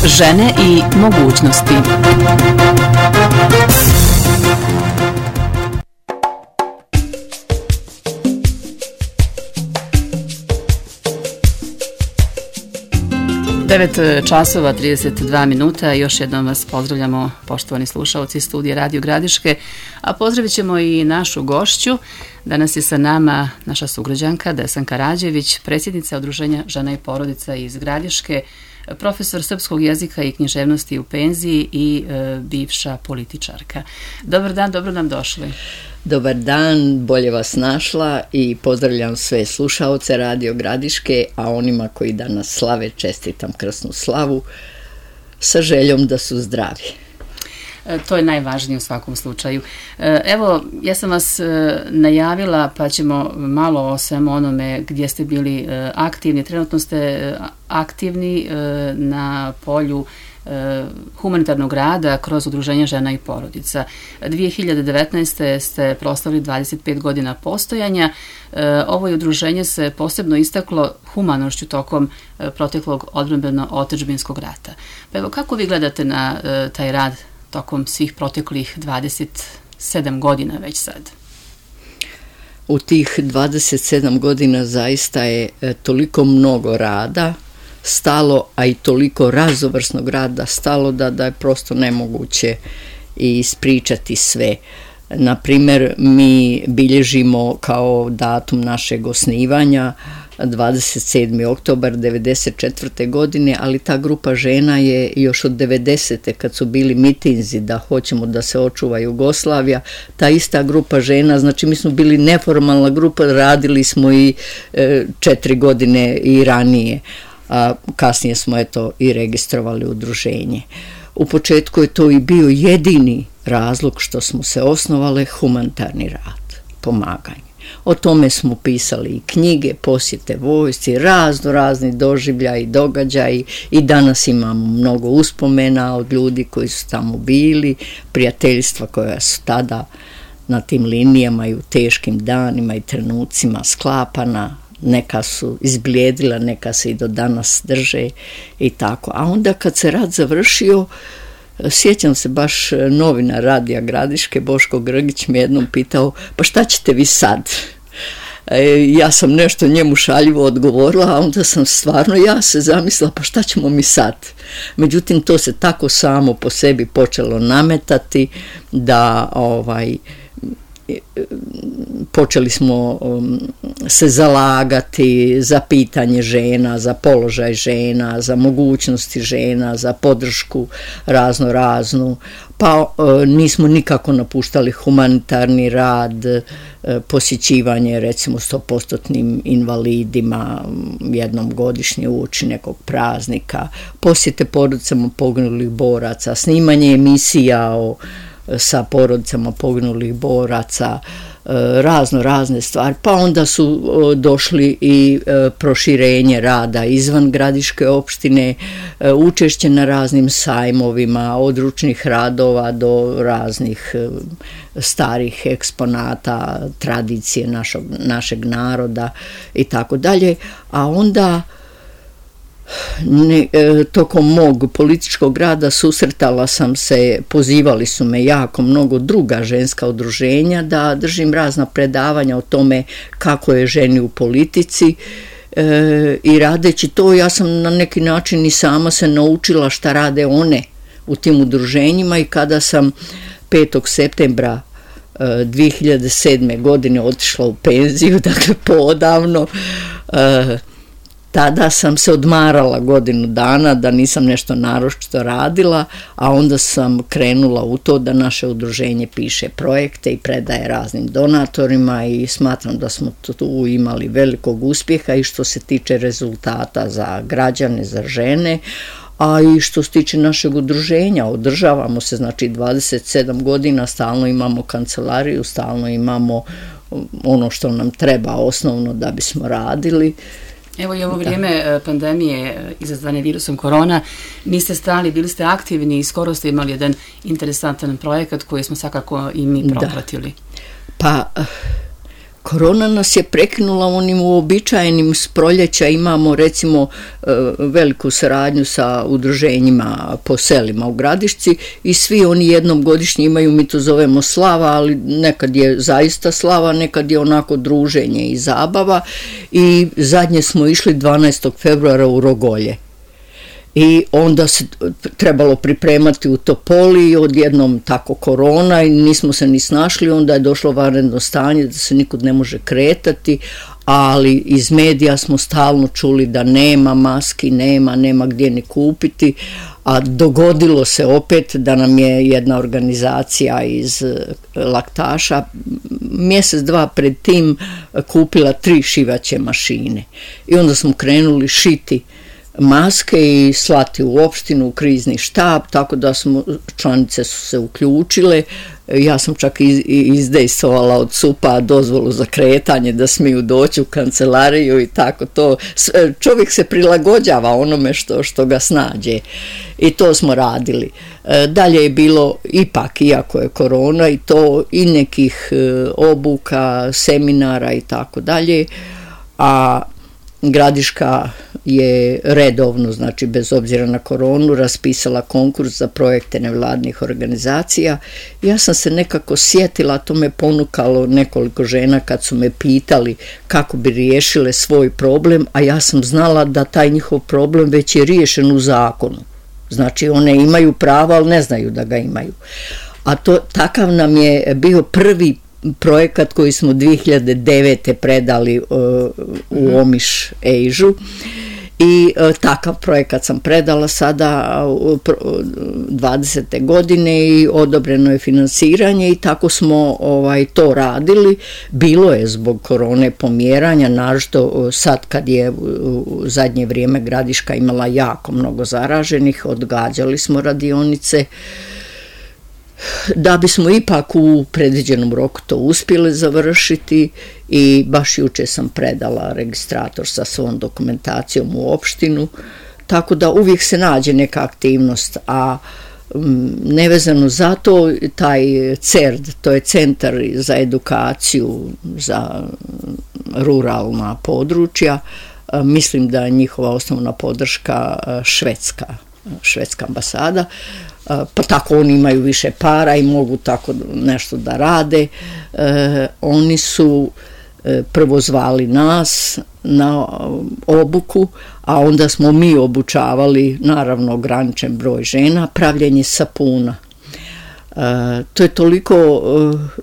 Žene i mogućnosti. časova 32 minuta. Još jednom vas pozdravljamo, poštovani slušaoci studija Radio Gradiške, a pozdravit ćemo i našu gošću. Danas je sa nama naša sugrađanka Desanka Rađević, predsjednica Udruženja žena i porodica iz Gradiške, profesor srpskog jezika i književnosti u penziji i bivša političarka. Dobar dan, dobro nam došli. Dobar dan, bolje vas našla i pozdravljam sve slušaoce Radio Gradiške, a onima koji danas slave čestitam krsnu slavu sa željom da su zdravi. To je najvažnije u svakom slučaju. Evo, ja sam vas najavila, pa ćemo malo o svemu onome gdje ste bili aktivni. Trenutno ste aktivni na polju humanitarnog rada kroz Udruženje žena i porodica. 2019. ste proslavili 25 godina postojanja. Ovo udruženje se posebno istaklo humanošću tokom proteklog odbrambeno-otadžbinskog rata. Pa evo, kako vi gledate na taj rad tokom svih proteklih 27 godina već sad? U tih 27 godina zaista je toliko mnogo rada stalo, a i toliko raznovrsnog rada stalo da je prosto nemoguće ispričati sve. Na primjer, mi bilježimo kao datum našeg osnivanja 27. oktobar 1994. godine, ali ta grupa žena je još od 90. kad su bili mitinzi da hoćemo da se očuva Jugoslavija, ta ista grupa žena, znači mi smo bili neformalna grupa, radili smo i 4 godine i ranije, a kasnije smo i registrovali udruženje. U početku je to i bio jedini razlog što smo se osnovale, humanitarni rad, pomaganje. O tome smo pisali i knjige, posjete vojsci, razni doživljaji, događaji i danas imamo mnogo uspomena od ljudi koji su tamo bili, prijateljstva koja su tada na tim linijama i u teškim danima i trenucima sklapana. Neka su izblijedila, neka se i do danas drže i tako. A onda kad se rat završio, sjećam se baš novinar Radija Gradiške, Boško Grgić me jednom pitao, pa šta ćete vi sad? Ja sam nešto njemu šaljivo odgovorila, a onda sam stvarno ja se zamislila, pa šta ćemo mi sad? Međutim, to se tako samo po sebi počelo nametati da počeli smo se zalagati za pitanje žena, za položaj žena, za mogućnosti žena, za podršku raznu, pa nismo nikako napuštali humanitarni rad, posjećivanje recimo 100% invalidima jednom godišnje uoči nekog praznika, posjete porodicama poginulih boraca, snimanje emisija sa porodicama poginulih boraca, razne stvari, pa onda su došli i proširenje rada izvan Gradiške opštine, učešće na raznim sajmovima, od ručnih radova do raznih starih eksponata, tradicije našeg naroda i tako dalje, a onda tokom mog političkog rada susretala sam se, pozivali su me jako mnogo druga ženska udruženja da držim razna predavanja o tome kako je ženi u politici i radeći to ja sam na neki način i sama se naučila šta rade one u tim udruženjima i kada sam 5. septembra 2007. godine otišla u penziju, dakle poodavno, tada sam se odmarala godinu dana da nisam nešto naročito radila, a onda sam krenula u to da naše udruženje piše projekte i predaje raznim donatorima i smatram da smo tu imali velikog uspjeha i što se tiče rezultata za građane, za žene, a i što se tiče našeg udruženja, održavamo se, znači 27 godina, stalno imamo kancelariju, stalno imamo ono što nam treba osnovno da bismo radili. Evo i ovo vrijeme pandemije izazvane virusom korona, niste stali, bili ste aktivni i skoro ste imali jedan interesantan projekat koji smo svakako i mi propratili. Pa korona nas je prekinula onim uobičajenim s proljeća. Imamo recimo veliku saradnju sa udruženjima po selima u Gradišci i svi oni jednom godišnje imaju, mi to zovemo slava, ali nekad je zaista slava, nekad je onako druženje i zabava i zadnje smo išli 12. februara u Rogolje. I onda se trebalo pripremati u Topoli, odjednom tako korona i nismo se ni snašli, onda je došlo vanredno stanje da se nikud ne može kretati, ali iz medija smo stalno čuli da nema maski, nema gdje ni kupiti, a dogodilo se opet da nam je jedna organizacija iz Laktaša mjesec, dva pred tim kupila 3 šivaće mašine i onda smo krenuli šiti maske i slati u opštinu, u krizni štab, tako da smo, članice su se uključile. Ja sam čak izdejstvovala od SUP-a dozvolu za kretanje da smiju doći u kancelariju i tako to. Čovjek se prilagođava onome što ga snađe i to smo radili. Dalje je bilo ipak, iako je korona, i to i nekih obuka, seminara i tako dalje, a Gradiška je redovno, znači bez obzira na koronu, raspisala konkurs za projekte nevladnih organizacija. Ja sam se nekako sjetila, to me ponukalo nekoliko žena kad su me pitali kako bi riješile svoj problem, a ja sam znala da taj njihov problem već je riješen u zakonu. Znači one imaju pravo, ali ne znaju da ga imaju. A takav nam je bio prvi projekat koji smo 2009. predali u Omiš Ejžu i takav projekat sam predala sada 20. godine i odobreno je finansiranje i tako smo to radili. Bilo je zbog korone pomjeranja, naročito sad kad je u zadnje vrijeme Gradiška imala jako mnogo zaraženih, odgađali smo radionice, da bismo ipak u predviđenom roku to uspjeli završiti i baš juče sam predala registrator sa svom dokumentacijom u opštinu, tako da uvijek se nađe neka aktivnost, a nevezano za to, taj CERD, to je Centar za edukaciju za ruralna područja, mislim da je njihova osnovna podrška švedska ambasada, pa tako oni imaju više para i mogu tako nešto da rade. Oni su prvo zvali nas na obuku, a onda smo mi obučavali, naravno ograničen broj žena, pravljenje sapuna. To je toliko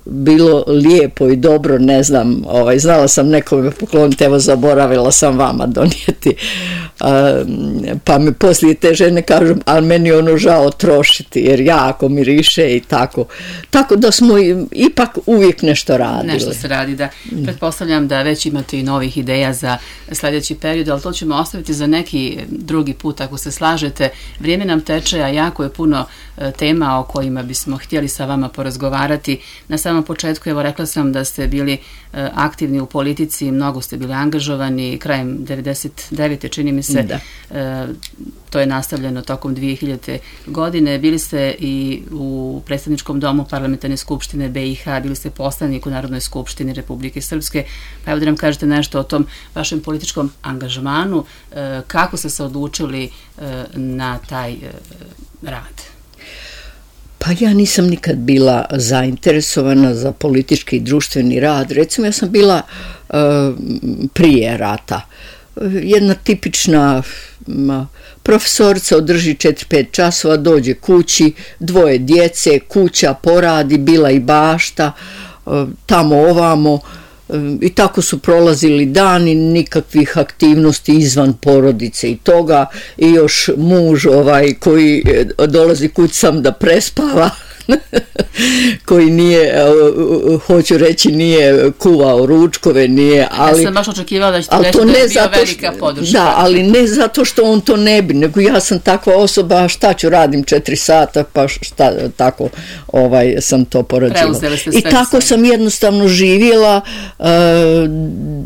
bilo lijepo i dobro, ne znam, znala sam nekome pokloniti, evo zaboravila sam vama donijeti, pa mi poslije te žene kažu, ali meni ono žao trošiti jer jako miriše i tako da smo ipak uvijek nešto radili. Nešto se radi, da. Pretpostavljam da već imate i novih ideja za sljedeći period, ali to ćemo ostaviti za neki drugi put ako se slažete. Vrijeme nam teče, a jako je puno tema o kojima bismo htjeli sa vama porazgovarati. Na samom početku, evo, rekla sam da ste bili aktivni u politici, mnogo ste bili angažovani, krajem 99. čini mi se, to je nastavljeno tokom 2000. godine. Bili ste i u predstavničkom domu Parlamentarne skupštine BiH, bili ste poslanik u Narodnoj skupštini Republike Srpske, pa evo da nam kažete nešto o tom vašem političkom angažmanu, kako ste se odlučili na taj rad? Pa ja nisam nikad bila zainteresovana za politički i društveni rad. Recimo, ja sam bila prije rata jedna tipična profesorica, održi 4-5 časova, dođe kući, 2 djece, kuća poradi, bila i bašta, tamo ovamo, i tako su prolazili dani, nikakvih aktivnosti izvan porodice i toga, i još muž koji dolazi kući sam da prespava, koji nije, hoću reći, nije kuvao ručkove, nije, ali... Ja sam baš očekivala da ćete reći da je bio velika podrška. Da, ali ne zato što on to ne bi, nego ja sam takva osoba, šta ću, radim 4 sata, pa šta, tako sam to porađivala. I tako sam jednostavno živjela,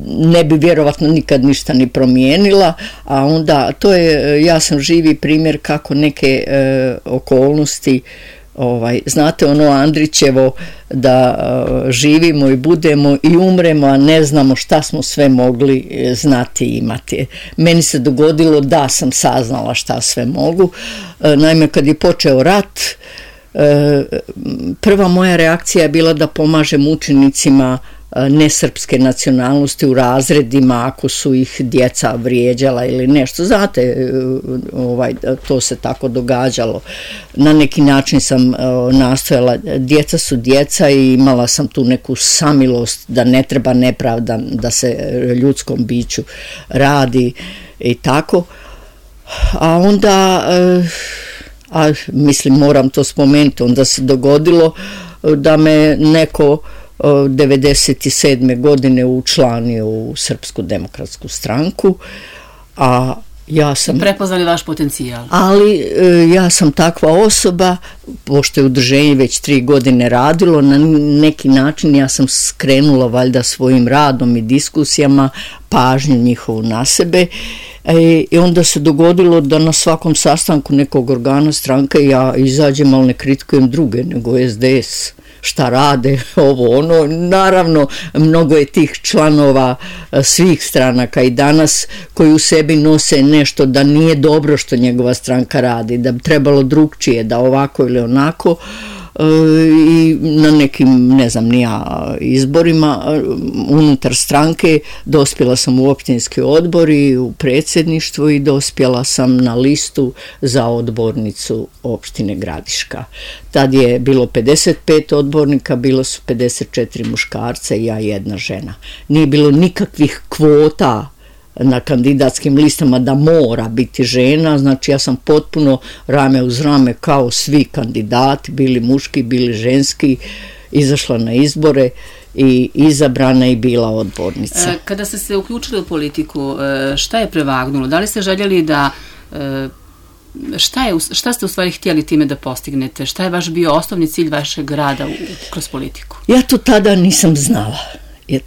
ne bi vjerovatno nikad ništa ni promijenila, a onda, ja sam živi primjer kako neke okolnosti znate ono Andrićevo da živimo i budemo i umremo, a ne znamo šta smo sve mogli znati i imati. Meni se dogodilo da sam saznala šta sve mogu. Naime, kad je počeo rat, prva moja reakcija je bila da pomažem učenicima nesrpske nacionalnosti u razredima ako su ih djeca vrijeđala ili nešto. Znate, to se tako događalo. Na neki način sam nastojala, djeca su djeca i imala sam tu neku samilost da ne treba nepravda da se ljudskom biću radi i tako. A onda, mislim moram to spomenuti, onda se dogodilo da me neko 97. godine učlanio u Srpsku demokratsku stranku, a ja sam... Prepoznali vaš potencijal. Ali ja sam takva osoba, pošto je udruženje već 3 godine radilo, na neki način ja sam skrenula valjda svojim radom i diskusijama pažnju njihovu na sebe i onda se dogodilo da na svakom sastanku nekog organa stranke ja izađem, ali ne kritikujem druge, nego SDS. Šta rade, ovo, ono. Naravno, mnogo je tih članova svih stranaka i danas koji u sebi nose nešto da nije dobro što njegova stranka radi, da bi trebalo drugčije, da ovako ili onako. I na nekim, ne znam ni ja, izborima unutar stranke dospjela sam u općinski odbor i u predsjedništvo i dospjela sam na listu za odbornicu opštine Gradiška. Tad je bilo 55 odbornika, bilo su 54 muškarca i ja jedna žena. Nije bilo nikakvih kvota na kandidatskim listama da mora biti žena, znači ja sam potpuno rame uz rame kao svi kandidati, bili muški, bili ženski, izašla na izbore i izabrana i bila odbornica. Kada ste se uključili u politiku, šta je prevagnulo? Da li ste željeli da... Šta ste u stvari htjeli time da postignete? Šta je vaš bio osnovni cilj vašeg rada kroz politiku? Ja to tada nisam znala.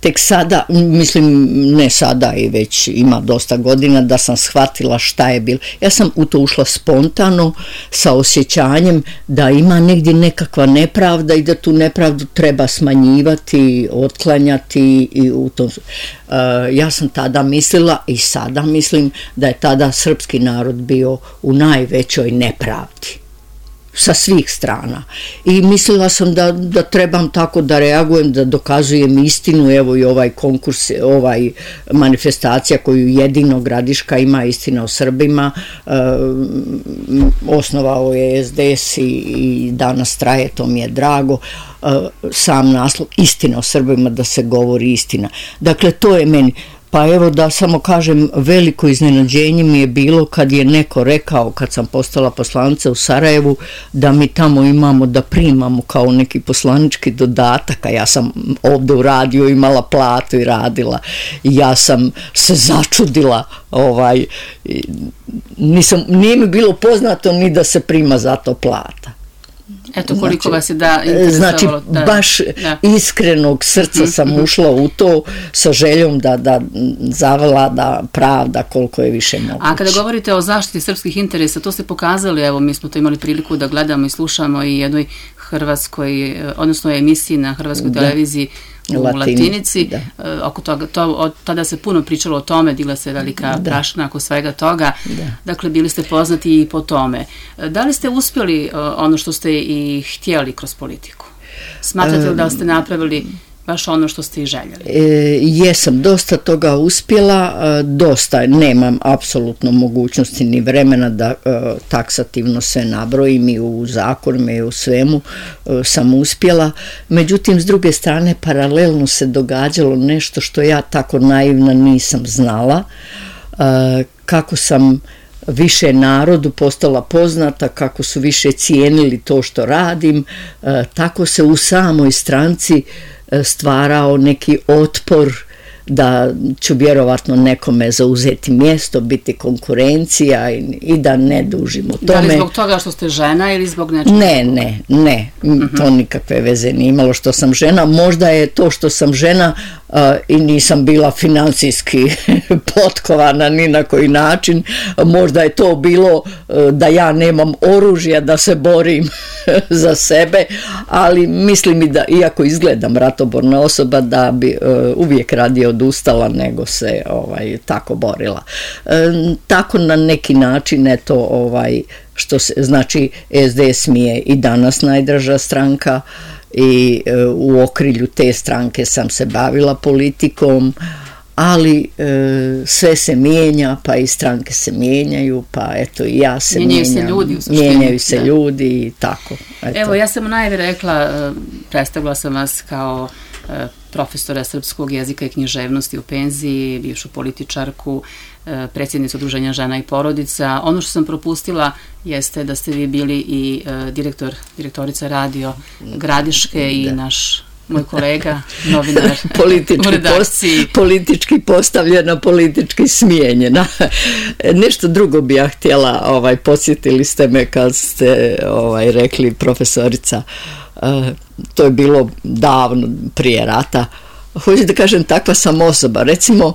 Tek sada, mislim ne sada i već ima dosta godina da sam shvatila šta je bilo. Ja sam u to ušla spontano sa osjećanjem da ima negdje nekakva nepravda i da tu nepravdu treba smanjivati, otklanjati i u tom. Ja sam tada mislila i sada mislim da je tada srpski narod bio u najvećoj nepravdi sa svih strana i mislila sam da trebam tako da reagujem, da dokazujem istinu. Evo i ovaj konkurs, ovaj manifestacija koju jedino Gradiška ima, istina o Srbima, osnovao je SDS i danas traje, to mi je drago. Sam naslov, istina o Srbima, da se govori istina. Dakle, to je meni. Pa evo da samo kažem, veliko iznenađenje mi je bilo kad je neko rekao, kad sam postala poslanica u Sarajevu, da mi tamo imamo da primamo kao neki poslanički dodatak, a ja sam ovdje u radiju imala platu i radila. I ja sam se začudila, nije mi bilo poznato ni da se prima za to plata. Eto koliko vas je da interesovalo. Znači, baš iskrenog srca sam ušla u to sa željom da zavlada pravda koliko je više moguće. A kada govorite o zaštiti srpskih interesa, to ste pokazali, evo mi smo to imali priliku da gledamo i slušamo i jednoj hrvatskoj, odnosno emisiji na hrvatskoj televiziji u Latinici. Oko toga, tada se puno pričalo o tome, digla se velika prašina oko svega toga. Dakle, bili ste poznati i po tome. Da li ste uspjeli ono što ste i htjeli kroz politiku? Smatrate li da ste napravili baš ono što ste i željeli? Jesam, dosta toga uspjela, dosta, nemam apsolutno mogućnosti ni vremena da taksativno sve nabrojim i u zakonima i u svemu sam uspjela. Međutim, s druge strane, paralelno se događalo nešto što ja tako naivna nisam znala, kako sam više narodu postala poznata, kako su više cijenili to što radim, tako se u samoj stranci stvarao neki otpor da ću vjerovatno nekome zauzeti mjesto, biti konkurencija i da ne dužim o tome. Da li zbog toga što ste žena ili zbog nečega? Ne, to nikakve veze nije imalo što sam žena. Možda je to što sam žena i nisam bila financijski potkovana ni na koji način. Možda je to bilo da ja nemam oružja da se borim za sebe, ali mislim i da, iako izgledam ratoborna osoba, da bi uvijek radije odustala nego se tako borila. Tako na neki način, eto, što se, znači SDS mi je i danas najdraža stranka i u okrilju te stranke sam se bavila politikom, ali sve se mijenja, pa i stranke se mijenjaju, pa eto i ja se mijenjaju se ljudi i tako. Eto. Evo, ja sam u najavi rekla, predstavila sam vas kao profesora srpskog jezika i književnosti u penziji, bivšu političarku, predsjednicu Udruženja žena i porodica. Ono što sam propustila jeste da ste vi bili i direktorica Radio Gradiške i moj kolega, novinar u redakciji. Politički postavljena, politički smijenjena. Nešto drugo bi ja htjela, podsjetili ste me kad ste rekli profesorica, to je bilo davno prije rata. Hoću da kažem, takva sam osoba. Recimo,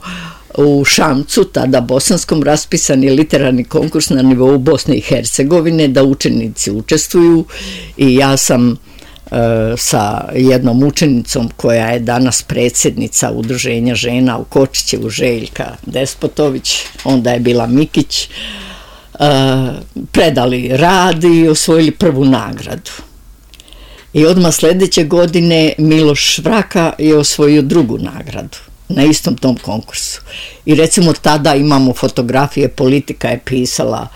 u Šamcu, tada bosanskom, raspisan je literarni konkurs na nivou Bosne i Hercegovine da učenici učestvuju i ja sam sa jednom učenicom koja je danas predsjednica Udruženja žena u Kočićevu, Željka Despotović, onda je bila Mikić, predali rad i osvojili prvu nagradu. I odmah sljedeće godine Miloš Vraka je osvojio drugu nagradu na istom tom konkursu. I recimo tada imamo fotografije, Politika je pisala,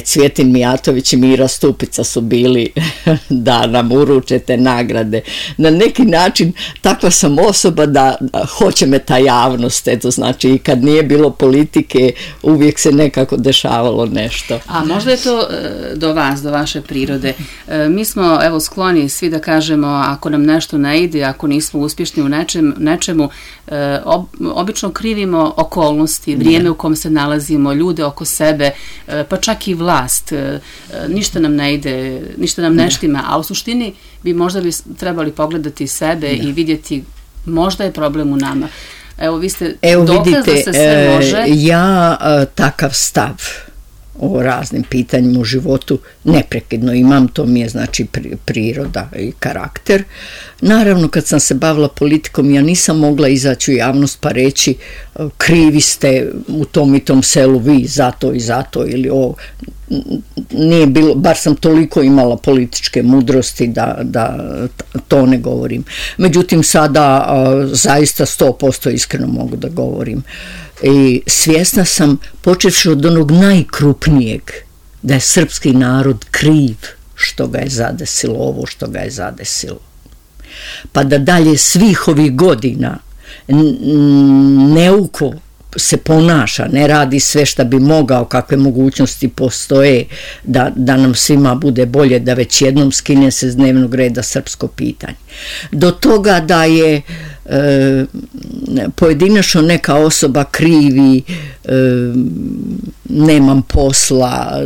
Cvjetin Mijatović i Mira Stupica su bili da nam uruče te nagrade. Na neki način takva sam osoba da hoće me ta javnost, eto, znači i kad nije bilo politike uvijek se nekako dešavalo nešto. A možda je to do vas, do vaše prirode. Mi smo evo skloni svi da kažemo ako nam nešto ne ide, ako nismo uspješni u nečemu, obično krivimo okolnosti, vrijeme u kom se nalazimo, ljude oko sebe, pa čak i vlast, ništa nam ne ide, ništa nam ne štima, a u suštini bi trebali pogledati sebe i vidjeti možda je problem u nama. Evo, vi ste dokaz da se sve može. Ja takav stav o raznim pitanjima u životu neprekidno imam, to mi je znači priroda i karakter. Naravno, kad sam se bavila politikom, ja nisam mogla izaći u javnost pa reći krivi ste u tom i tom selu vi zato i zato ili ovo. Nije bilo, bar sam toliko imala političke mudrosti da to ne govorim. Međutim, sada zaista 100% iskreno mogu da govorim. I svjesna sam, počevši od onog najkrupnijeg, da je srpski narod kriv što ga je zadesilo ovo što ga je zadesilo. Pa da dalje svih ovih godina neuko se ponaša, ne radi sve što bi mogao, kakve mogućnosti postoje da nam svima bude bolje, da već jednom skine se s dnevnog reda srpsko pitanje. Do toga da je pojedinačno neka osoba krivi, nemam posla,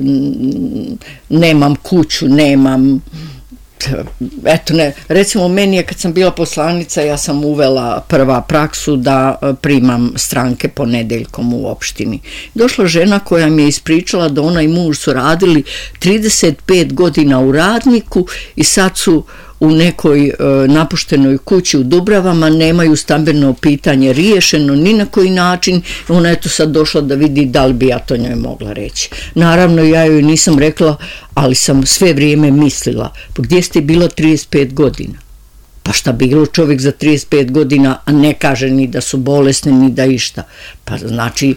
nemam kuću, nemam... Eto ne, recimo meni je kad sam bila poslanica, ja sam uvela prva praksu da primam stranke ponedjeljkom u opštini. Došla žena koja mi je ispričala da ona i muž su radili 35 godina u Radniku i sad su u nekoj napuštenoj kući u Dubravama, nemaju stambeno pitanje riješeno ni na koji način. Ona je to sad došla da vidi da li bi ja to njoj mogla reći. Naravno, ja joj nisam rekla, ali sam sve vrijeme mislila, pa gdje ste bila 35 godina? Pa šta bilo čovjek za 35 godina, a ne kaže ni da su bolesni, ni da išta. Pa znači...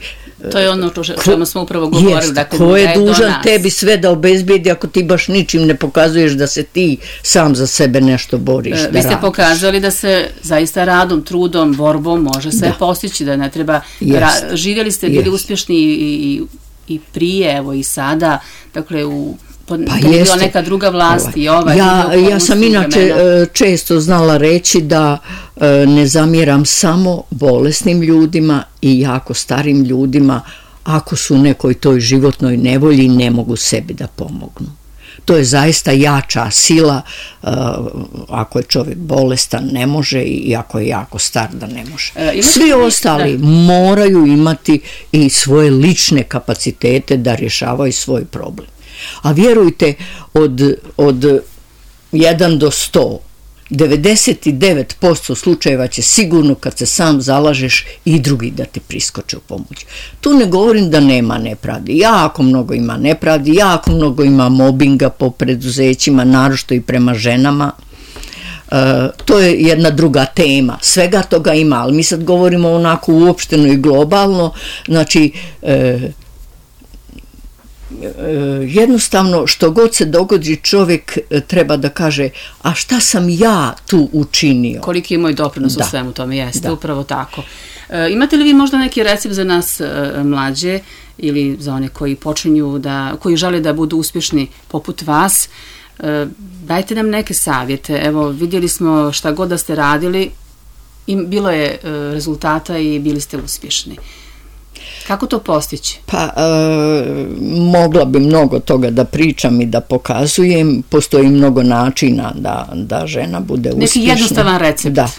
To je ono o čemu smo upravo govorili. Dakle, ko je dužan tebi sve da obezbijedi ako ti baš ničim ne pokazuješ da se ti sam za sebe nešto boriš? Vi ste pokazali da se zaista radom, trudom, borbom može sve postići, da ne treba... Živjeli ste, bili uspješni i prije, evo i sada, dakle kad je bila neka druga vlast i ja sam inače često znala reći da ne zamjeram samo bolesnim ljudima i jako starim ljudima ako su u nekoj toj životnoj nevolji ne mogu sebi da pomognu. To je zaista jača sila, ako je čovjek bolestan ne može i ako je jako star da ne može. Svi ostali moraju imati i svoje lične kapacitete da rješavaju svoj problem. A vjerujte, od 1 do 100, 99% slučajeva će sigurno kad se sam zalažeš i drugi da ti priskoče u pomoć. Tu ne govorim da nema nepravdi. Jako mnogo ima nepravdi, jako mnogo ima mobinga po preduzećima, naročito i prema ženama. To je jedna druga tema. Svega toga ima, ali mi sad govorimo onako uopšteno i globalno. Znači, jednostavno što god se dogodi čovjek treba da kaže, a šta sam ja tu učinio? Koliki je moj doprinos u svemu tome, jeste upravo tako. Imate li vi možda neki recept za nas mlađe ili za one koji počinju koji žele da budu uspješni poput vas? Dajte nam neke savjete. Evo, vidjeli smo šta god da ste radili, bilo je rezultata i bili ste uspješni. Kako to postići? Pa, mogla bi mnogo toga da pričam i da pokazujem. Postoji mnogo načina da žena bude uspješna. Neki jednostavan recept. Da.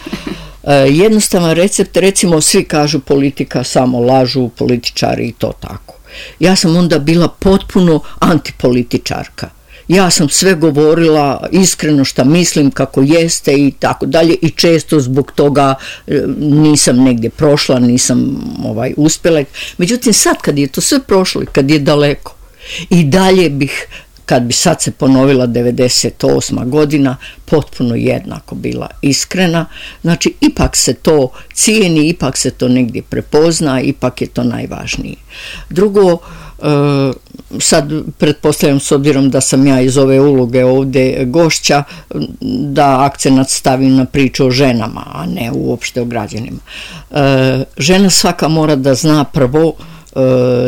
Jednostavan recept, recimo svi kažu politika, samo lažu političari i to tako. Ja sam onda bila potpuno antipolitičarka. Ja sam sve govorila iskreno šta mislim, kako jeste i tako dalje i često zbog toga nisam negdje prošla, nisam uspjela. Međutim, sad kad je to sve prošlo i kad je daleko i dalje bih, kad bi sad se ponovila 98. godina, potpuno jednako bila iskrena. Znači, ipak se to cijeni, ipak se to negdje prepozna, ipak je to najvažnije. Drugo, sad pretpostavljam, s obzirom da sam ja iz ove uloge ovdje gošća, da akcenat stavim na priču o ženama, a ne uopšte o građanima. Žena svaka mora da zna prvo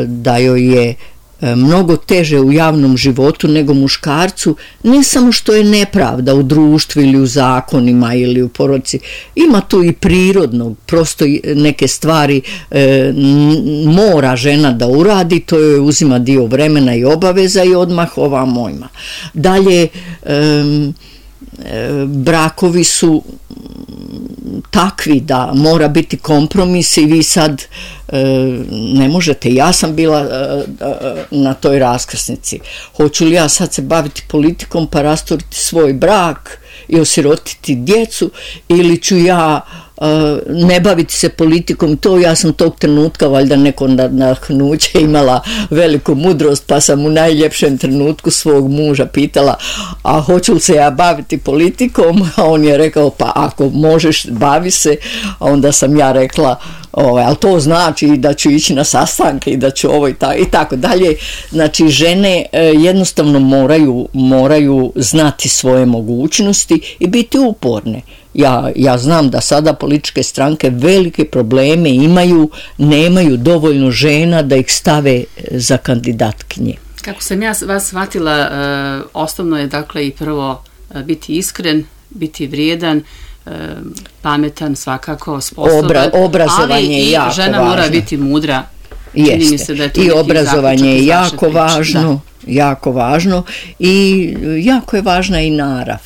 da joj je mnogo teže u javnom životu nego muškarcu, ne samo što je nepravda u društvu ili u zakonima ili u porodici, ima tu i prirodnog, prosto neke stvari mora žena da uradi, to joj uzima dio vremena i obaveza i odmah ovamo ima. Dalje, brakovi su takvi da mora biti kompromis i vi sad ne možete. Ja sam bila na toj raskrsnici. Hoću li ja sad se baviti politikom pa rasturiti svoj brak i osirotiti djecu, ili ću ja ne baviti se politikom? To ja sam tog trenutka valjda neko nadahnuće imala veliku mudrost, pa sam u najljepšem trenutku svog muža pitala, a hoću li se ja baviti politikom? A on je rekao, pa ako možeš bavi se. A onda sam ja rekla, ali to znači da ću ići na sastanke i da ću ovo i tako dalje. Znači, žene jednostavno moraju znati svoje mogućnosti i biti uporne. Ja znam da sada političke stranke velike probleme imaju, nemaju dovoljno žena da ih stave za kandidatkinje. Kako sam ja vas shvatila, osnovno je dakle i prvo biti iskren, biti vrijedan, pametan, svakako sposoban, obrazovanje je jako važno. Ali i žena mora biti mudra. Čini mi se da je to i obrazovanje je jako važno, jako važno i jako je važna i narav.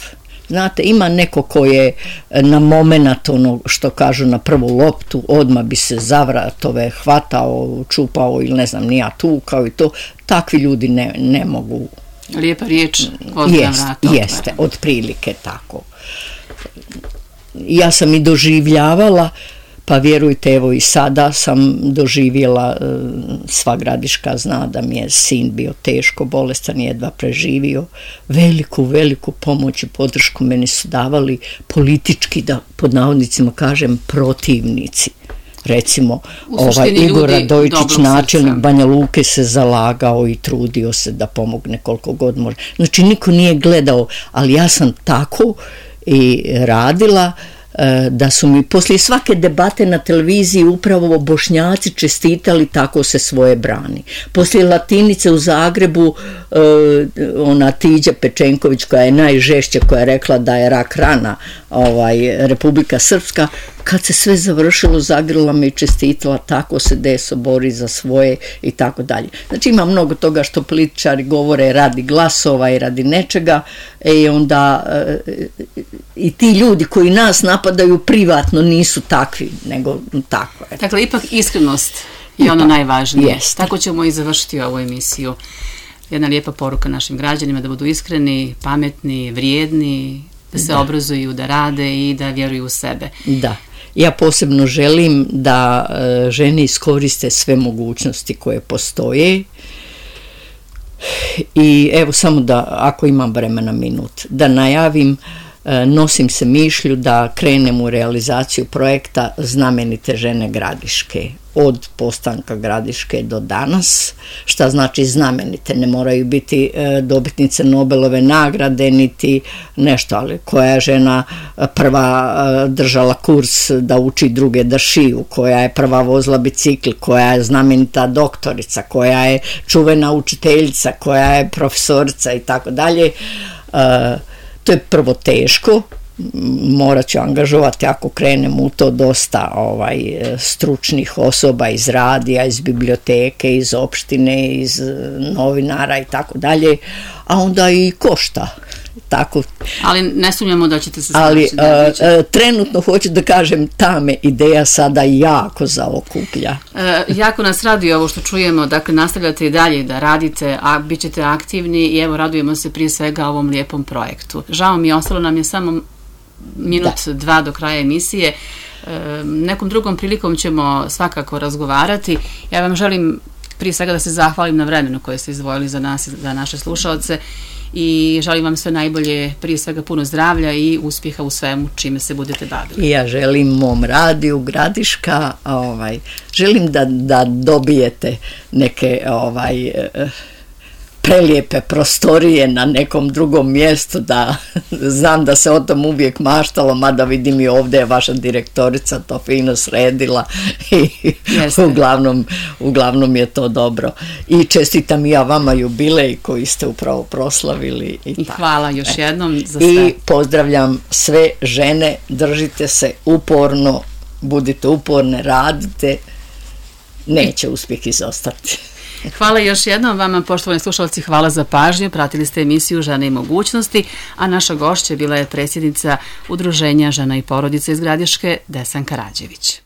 Znate, ima neko ko je na momenat, ono što kažu, na prvu loptu, odmah bi se za vratove hvatao, čupao ili ne znam, nija tukao i to. Takvi ljudi ne mogu. Lijepa riječ, ozbiljna vrata. Jeste, otprilike tako. Ja sam i doživljavala, pa vjerujte, evo i sada sam doživjela, sva Gradiška zna da mi je sin bio teško bolestan, jedva preživio. Veliku pomoć i podršku meni su davali politički, da pod navodnicima kažem, protivnici. Recimo, Igor Radojičić, načelnik Banja Luke, se zalagao i trudio se da pomogne koliko god može. Znači, niko nije gledao, ali ja sam tako i radila da su mi poslije svake debate na televiziji upravo Bošnjaci čestitali, tako se svoje brani. Poslije Latinice u Zagrebu ona Tiđa Pečenković koja je najžešća, koja je rekla da je rak rana Republika Srpska, kad se sve završilo zagrla me i čestitala, tako se deso bori za svoje i tako dalje. Znači ima mnogo toga što političari govore radi glasova i radi nečega, i onda i ti ljudi koji nas napadaju privatno nisu takvi, nego tako je. Dakle, ipak iskrenost je ono najvažnije. Jest. Tako ćemo i završiti ovu emisiju. Jedna lijepa poruka našim građanima da budu iskreni, pametni, vrijedni, da se obrazuju, da rade i da vjeruju u sebe. Da. Ja posebno želim da žene iskoriste sve mogućnosti koje postoje i evo samo da, ako imam vremena minut, da najavim, nosim se mišlju da krenem u realizaciju projekta Znamenite žene Gradiške. Od postanka Gradiške do danas. Šta znači znamenite? Ne moraju biti dobitnice Nobelove nagrade niti nešto, ali koja je žena prva držala kurs da uči druge da šiju, koja je prva vozila bicikl, koja je znamenita doktorica, koja je čuvena učiteljica, koja je profesorica i tako dalje. To je prvo teško, morat ću angažovati ako krenem u to dosta stručnih osoba iz radija, iz biblioteke, iz opštine, iz novinara i tako dalje, a onda i košta. Tako. Ali ne sumnjamo da ćete se ali trenutno hoću da kažem, ta me ideja sada jako zaokuplja. Jako nas raduje ovo što čujemo, dakle nastavljate i dalje da radite, a bit ćete aktivni i evo radujemo se prije svega ovom lijepom projektu. Žao mi je, ostalo nam je samo minut, dva do kraja emisije. Nekom drugom prilikom ćemo svakako razgovarati. Ja vam želim prije svega da se zahvalim na vremenu koje ste izdvojili za nas i za naše slušaoce i želim vam sve najbolje, prije svega puno zdravlja i uspjeha u svemu čime se budete bavili. I ja želim mom radiju Gradiška, želim da dobijete neke prelijepe prostorije na nekom drugom mjestu, da znam da se o tom uvijek maštalo, mada vidim i ovdje je vaša direktorica to fino sredila i uglavnom je to dobro. I čestitam ja vama jubilej koji ste upravo proslavili. I hvala još jednom za sve. I pozdravljam sve žene, držite se uporno, budite uporne, radite, neće uspjeh izostati. Hvala još jednom vama, poštovani slušalci, hvala za pažnju. Pratili ste emisiju Žene i mogućnosti, a naša gošća bila je predsjednica Udruženja Žena i porodica iz Gradiške, Desanka Rađević.